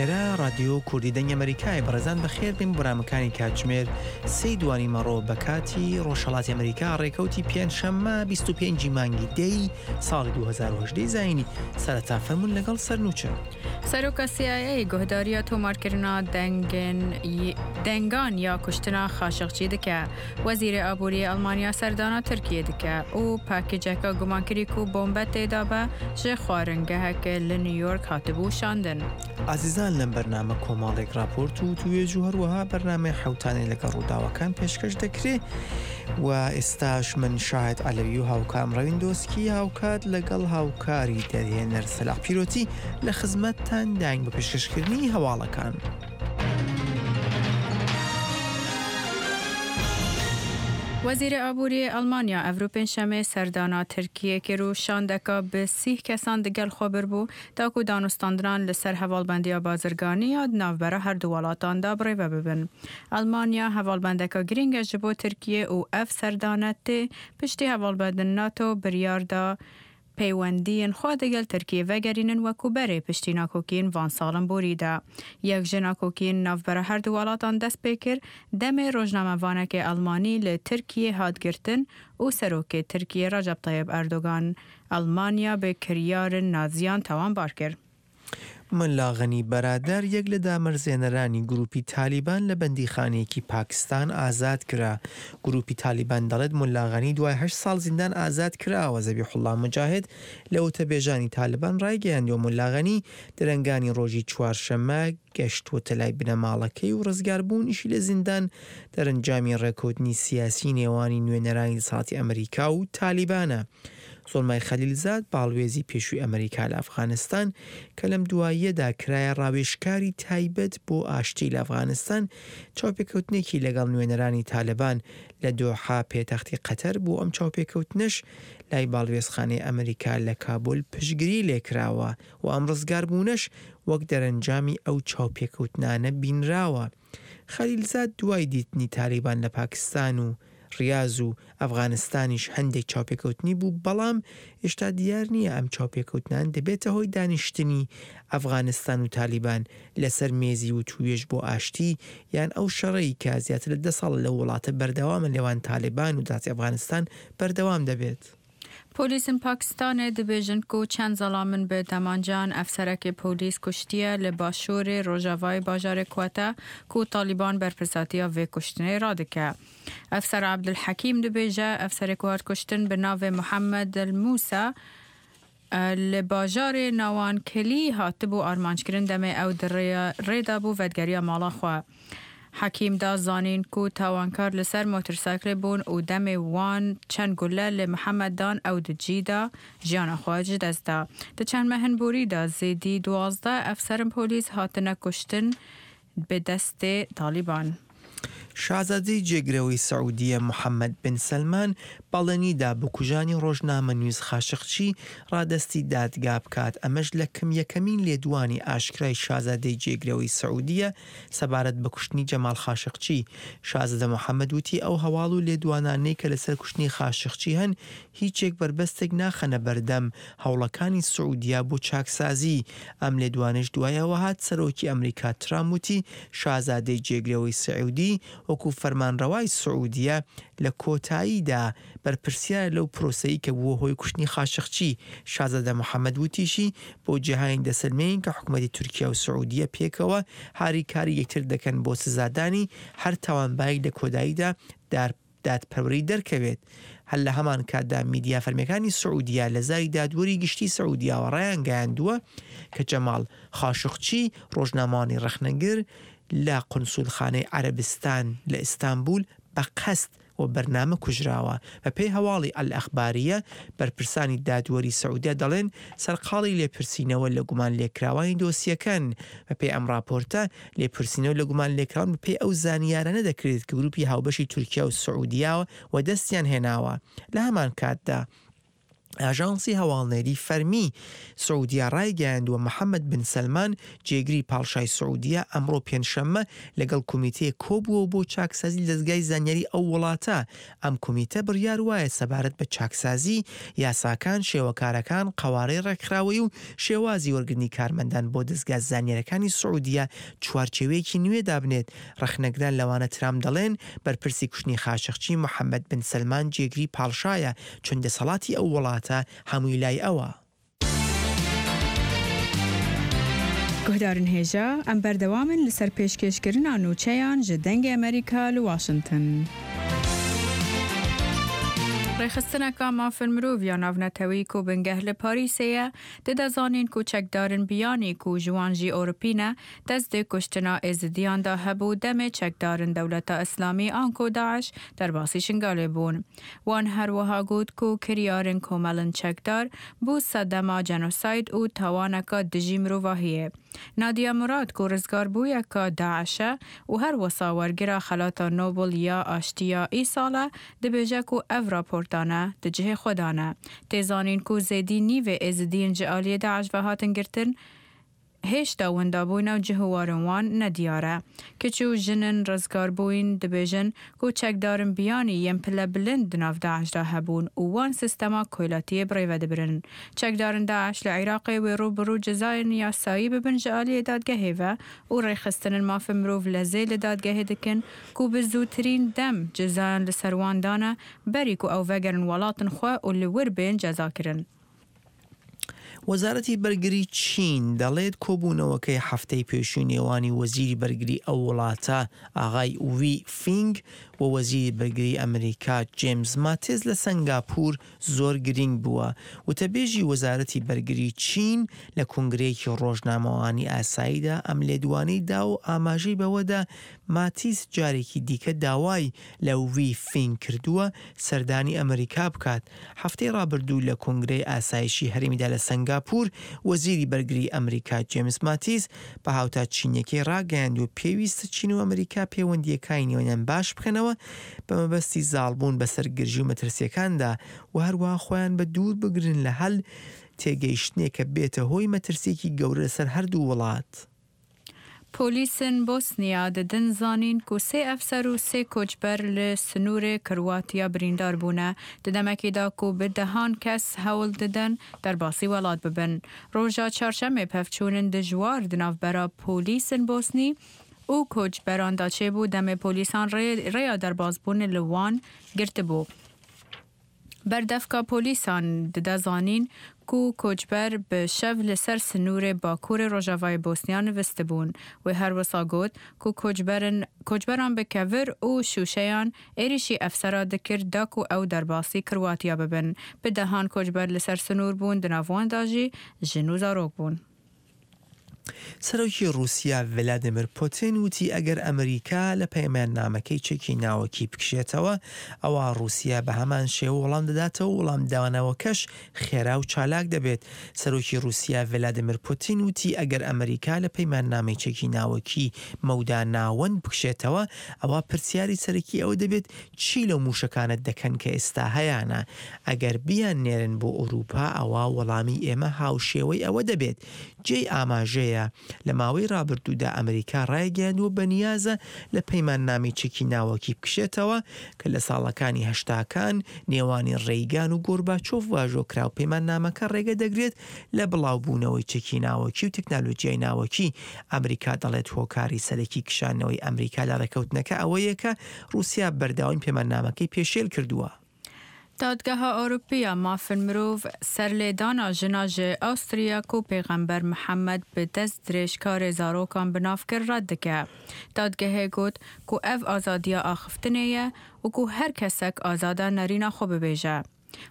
ئێرە ڕادیۆ کوردی دەنگی ئەمەریکایە بەڕێزان بەخێر بێن بۆ بەرنامەکانی کاتژمێر سێی دوانی مەڕۆ بە کاتی ڕۆژهەڵاتی ئەمریکا ڕێکەوتی پێنجشەممە 25 مانگی دەی ساڵی 2018 زایینی سەرەتا فەرموون لەگەڵ سەرنوچە. سەرۆکا CIA guhdariya tomarkirina dengên dengan ya kuştina Xaşiqçî dike. Wezîrê Aboriyê Elmanya serdana Tirkiyê dike û pakêceka gumankirî ku bombe tê de be ji xwaringeheke li New York hatibû şandin. ئازیزان لەم بەرنامە کۆمەڵێک ڕاپۆرت و وتووێژ و هەروەها بەرنامەی حەوتانەی لەگەڵ ڕووداوەکان پێشکەش دەکرێ و ئێستاش من شاهد عەلەوی و هاوکارم ڕەوین دۆسکی هاوکات لەگەڵ هاوکاری دەرهێنەر سەلاح پیرۆتی لە خزمەتتان داین بە پێشکەشکردنی هەواڵەکان. Wezîrê Aboriyê Elmanya evro pêncşemê serdana Tirkiyê kir û şandeka bi sîh kesan digel xwe birbû da ku danûstandinan li ser hevalbendiya bazirganî ya di navbera her du welatan de birêve bibin. Elmanya hevalbendeka girîng e ji bo Tirkiyê û ev serdane tê piştî hevalbendin NATO biryar da Peywendiyên xwe digel Tirkiyê vegerînin wekû berê piştî nakokiyên van salên borî de. Yek ji nakokiyên navbera her du welatan dest pê kir, demê rojnamevanekê Elmanî li Tirkiyê hat girtin û serokê Tirkiyê Recep Tayyip Erdogan Elmanya bi kiryarên Naziyan tawanbar kir. مەلا غەنی بەرادەر یەک لە دامەرزێنەرانی گروپی تالیبان لە بەندیخانەیەکی پاکستان ئازاد کرا. گروپی تالیبان دەڵێت ملا غەنی دوای هەشت ساڵ زیندان ئازاد کراوە. زەبیحوڵڵا موجاهد لە وتەبێژانی تالبان ڕایگەیاندووە ملا غەنی درەنگانی ڕۆژی چوارشەممە گەشتووەتە لای بنەماڵەکەی و ڕزگاربوونیشی لە زیندان دەرەنجامی ڕێکەوتنی سیاسی نێوانی نوێنەرانی دەسەڵاتی ئەمریکا و تالیبانە. زۆڵمای خەلیلزاد، باڵوێزی پێشووی ئەمریکا لە ئەفغانستان، کە لەم دواییەدا کرایە ڕاوێژکاری تایبەت بۆ ئاشتی لە ئەفغانستان، چاوپێکەوتنێکی لەگەڵ نوێنەرانی تالبان لە دۆحە پێتەختی قەتەر بۆ ئەم چاوپێکەوتنەش لای باڵوێزخانەی ئەمریکا لە کابول پشتگری لێکراوە و ئەم ڕزگاربوونەش وەک دەرەنجامی ئەو چاوپێکەوتنانە بینراوە. خەلیلزاد دوای دیتنی تالیبان لە پاکستان و ڕیاز و ئەفغانستانیش هەندێک چاوپێکەوتنی بوو، بەڵام هێشتا دیار نییە ئەم چاوپێکەوتنان دەبێتە هۆی دانیشتنی ئەفغانستان و تالیبان لەسەر مێزی وتووێژ بۆ ئاشتی یان ئەو شەڕەی کە زیاتر لە دە ساڵە لەو وڵاتە بەردەوامە نێوان تالیبان و دەسەڵاتی ئەفغانستان بەردەوام دەبێت. Polîsên Pakistanê dibêjin ku çend zelamin bi demancan efserekê polîs kuştiye li başûrê rojavayê bajarê Quetta ku Talîban berpirsatiya vê kuştinê radike. Efser Ebdulhekîm dibêje efserê ku hat kuştin bi navê Muhammed El Musa li bajarê Nawankilî hatibû armanckirin demê ew di rê de bû vedigeriya mala xwe. Hekîm da zanîn ku tawankar li ser motorsaklê bûn û demê wan çend gule li Mihemed dan ew di cî de jiyana xwe ji dest da. Di çend mehên borî de zêdî 12 efserên polîs hatine kuştin bi destê Talîban. شازادەی جێگرەوەی سعودیە محەمەد بن سەلمان بەڵێنی دا بکوژانی ڕۆژنامەنووس خاشقچی ڕادەستی دادگا بکات، ئەمەش لە کەم یەکەمین لێدوانی ئاشکرای شازادەی جێگرەوەی سعودیە سەبارەت بە کوشتنی جەماڵ خاشقچی. شازادە محەمەد وتی ئەو هەواڵ و لێدوانانەی کە لەسەر کوشتنی خاشقچی هەن هیچێک بەربەستێک ناخەنە بەردەم هەوڵەکانی سعودیە بۆ چاکسازی. ئەم لێدوانەش دوای ئەوە هات سەرۆکی ئەمریکا ترامپ وتی شازادەی جێگرەوەی سعودی وەکو فەرمانڕەوای سعودیە لە کۆتاییدا بەرپرسیارە لەو پرۆسەی کە بووە هۆی کوشتنی خاشقچی. شازادە محەمەد وتیشی، بۆ جیهانی دەسەلمێنین کە حکومەتی تورکیا و سعودیە پێکەوە هاریکاری یەکتر دەکەن بۆ سزادانی هەر تاوانبارێک لە کۆداییدا دادپەروەری دەرکەوێت. هەر لە هەمان کاتدا میدیا فەرمیەکانی سعودیە لە زاری دادوەری گشتی سعودیاوە ڕایانگەیاندووە کە جەماڵ خاشقچی ڕۆژنامەوانی ڕەخنەگر لە قونسولخانەی عەرەبستان لە ئیستانبول بە قەست و بەرنامە کوژراوە. بەپێی هەواڵی ئەلئەخباریە، بەرپرسانی دادوەری سعودیە دەڵێن سەرقاڵی لێپرسینەوە لە گومانلێکراوانی دۆسیەکەن. بەپێی ئەم ڕاپۆرتە، لێپرسینەوە لە گومانلێکراوان بەپێی ئەو زانیارانە دەکرێت کە گروپی هاوبەشی تورکیا و سعودیە وەدەستیان هێناوە. لە هەمانکاتدا. ئاژانسی هەواڵنێری فەرمی سعودیە ڕایگەیاندووە، محەمەد بن سەلمان جێگری پاڵشای سعودیە ئەمڕۆ پێنجشەممە لەگەڵ کۆمیتەیەک کۆبووەوە بۆ چاکسازی لە دەزگای زانیاری ئەو وڵاتە، ئەم کۆمیتە بڕیار وایە سەبارەت بە چاکسازی یاساکان، شێوەکارەکان، قەوارەی ڕێکخراوەیی و شێوازی وەرگرتنی کارمەندان بۆ دەزگا زانیاریەکانی سعودیە چوارچێوەیەکی نوێ دابنێت ڕەخنەگران لەوانە ترامپ دەڵێن بەرپرسی کوشتنی خاشقچی محەمەد بن سەلمان جێگری پاڵشایە چون دەسەڵاتی ئەو وڵاتە هەمووی لای ئەوە. گوهدارن هێژا، ئەم بەردەوامن لەسەر پێشکێشکردنا نوچەیان ژ دەنگێ ئەمەریکا لە واشنتن. ڕێکخستنەکا مافن مرۆڤ یا ناڤنەتەوەیی کو بنگەه لە پاریسێ یە، ددە زانین کو چەکدارن بیانی کو ژ وان ژی ئۆروپی نە، دەست di kuştina Êzidiyan de hebû demê çekdarên Dewleta Îslamî anku DAIŞ derbasî Şingalê bûn. Wan her wiha got ku kiryarên komelên çekdar bû sedema cenosayd û tawaneka dijî mirovahiyê. Nadiya Murad ku rizgarbûyeka DAIŞ e û her wisa wergira Xelata Nobel ya Aştiya îsal e, dibêje ku ev raportane di cihê xwe de ne. Tê zanîn ku zêdî nîvê Êzidiyên ji aliyê DAIŞ ve hatin girtin, Hêjta windabûyîna û cih û warên wan ne diyar e. Kiç û jinên rizgarbûyîn dibêjin ku çekdarên biyanî yên pile bilind di nav DAIŞ de hebûn û wan sîstema koylatiyê birêve dibirin. Çekdarên DAIŞ li Iraqê wê rû bi rû cezayên yasayî bibin ji aliyê dadgehê ve û rêxistinên mafê mirov lezê li dadgehê dikin ku bi zûtirîn dem cezayan li ser wan dane berî ku ew vegerin welatên xwe û li wir bên cezakirin. وەزارەتی بەرگری چین دەڵێت کۆبوونەوەکەی هەفتەی پێشووی نێوانی وەزیری بەرگری ئەو وڵاتە ئاغای وی فینگ و وەزیری بەرگری ئەمریکا جێمز ماتێس لە سەنگاپور زۆر گرینگ بووە. وتەبێژی وەزارەتی بەرگری چین لە کۆنگرەیەکی ڕۆژنامەوانی ئاساییدا ئەم لێدوانەی دا و ئاماژەی بەوەدا ماتیس جارێکی دیکە داوای لە وی فینگ کردووە سەردانی ئەمریکا بکات. هەفتەی ڕابردوو لە کۆنگرەی ئاسایشی هەرێمیدا لە سەنگاپور، وەزیری بەرگریی ئەمریکا جێمس ماتیس بە هاوتا چینییەکەی ڕاگەیاندووە پێویستە چین و ئەمریکا پەیوەندییەکانی نێوانیان باش بکەنەوە بە مەبەستی زاڵبوون بەسەر گرژی و مەترسییەکاندا و هەروەها خۆیان بە دوور بگرن لە هەل تێگەیشتنێک کە بێتە هۆی مەترسییەکی گەورە لەسەر هەردوو وڵات. پۆلیسên Bosniya didin zanîn ku sê efser û sê koçber li sinûrê Kirwatiya birîndar bûne, di demekê de ku bi dehan kes hewl didin derbasî welat bibin. Roja çarşemê pevçûnên dijwar di navbera polîsên Bosnî û koçberan de çêbû demê polîsan rêya derbasbûnê li wan girtibû. Berdevka polîsan dide zanîn ku koçber bi şev li ser sinûrê bakurê rojavayê Bosniya nivistibûn. Wê her wisa got ku koçberin koçberan bi kevir û şûşeyan êrîşî efsera dikir da ku ew derbasî Kirwatiya bibin. Bi dehan koçber li ser sinûr bûn di nav wan de jî jin û zarok bûn. سەرۆکی ڕووسیا ڤلادیمیر پوتین وتی ئەگەر ئەمریکا لە پەیماننامەکەی چەکی ناوەکی بکشێتەوە، ئەوا ڕووسیا بە هەمان شێوە وەڵام دەداتەوە و وەڵامدانەوەکەش خێرا و چالاک دەبێت. سەرۆکی ڕووسیا ڤلادیمیر پوتین وتی ئەگەر ئەمریکا لە پەیماننامەی چەکی ناوەکی مەودا ناوەند بکشێتەوە، ئەوا پرسیاری سەرەکی ئەوە دەبێت چی لەو موشەکانە دەکەن کە ئێستا هەیانە؟ ئەگەر بیاننێرن بۆ ئەوروپا ئەوا وەڵامی ئێمە هاوشێوەی ئەوە دەبێت. جێی ئاماژەیە، لە ماوەی ڕابردوودا ئەمریکا ڕایگەیاندووە بەنیازە لە پەیماننامەی چەکی ناوەکی بکشێتەوە کە لە ساڵەکانی هەشتاکان نێوانی ڕێیگان و گۆرباچۆڤ واژۆ کرا و پەیماننامەکە ڕێگە دەگرێت لە بڵاوبوونەوەی چەکی ناوەکی و تەکنالۆجیای ناوەکی. ئەمریکا دەڵێت هۆکاری سەرەکی کشانەوەی ئەمریکا لە ڕێککەوتنەکە ئەوەیە کە ڕووسیا بەردەوامی پەیماننامەکەی پێشێل کردووە. Dadgeha Ewropî ya Mafên Mirov serlêdana jina ji Austria ku Pêxember Mihemed bi dest dirêjkarê zarokan bi nav kir red dike. Dadgehê got ku ev azadiya axiftinê ye û ku her kesek azad e nerîna xwe bibêje.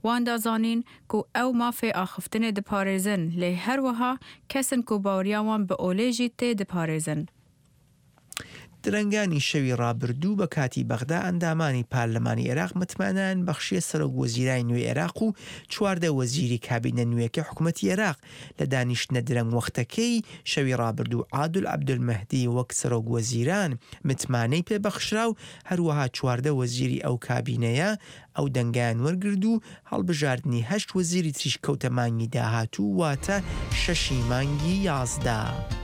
Wan da zanîn ku ew mafê axiftinê diparêzin lê her wiha kesên ku baweriya wan bi olê jî tê diparêzin. درەنگانی شەوی ڕابردوو بە کاتی بەغدا ئەندامانی پارلەمانی عێراق متمانەیان بەخشیە سەرۆک وەزیرای نوێی عێراق و 14 وەزیری کابینە نوێکەی حکومەتی عێراق. لە دانیشتنە درەنگوەختەکەی شەوی ڕابردوو عادل عەبدولمەهدی وەک سەرۆک وەزیران متمانەی پێ بەخشرا و هەروەها 14 وەزیری ئەو کابینەیە ئەو دەنگەیان وەرگرت و هەڵبژاردنی هەشت وەزیری تریش کەوتە مانگی داهاتوو واتە شەشی مانگی 11.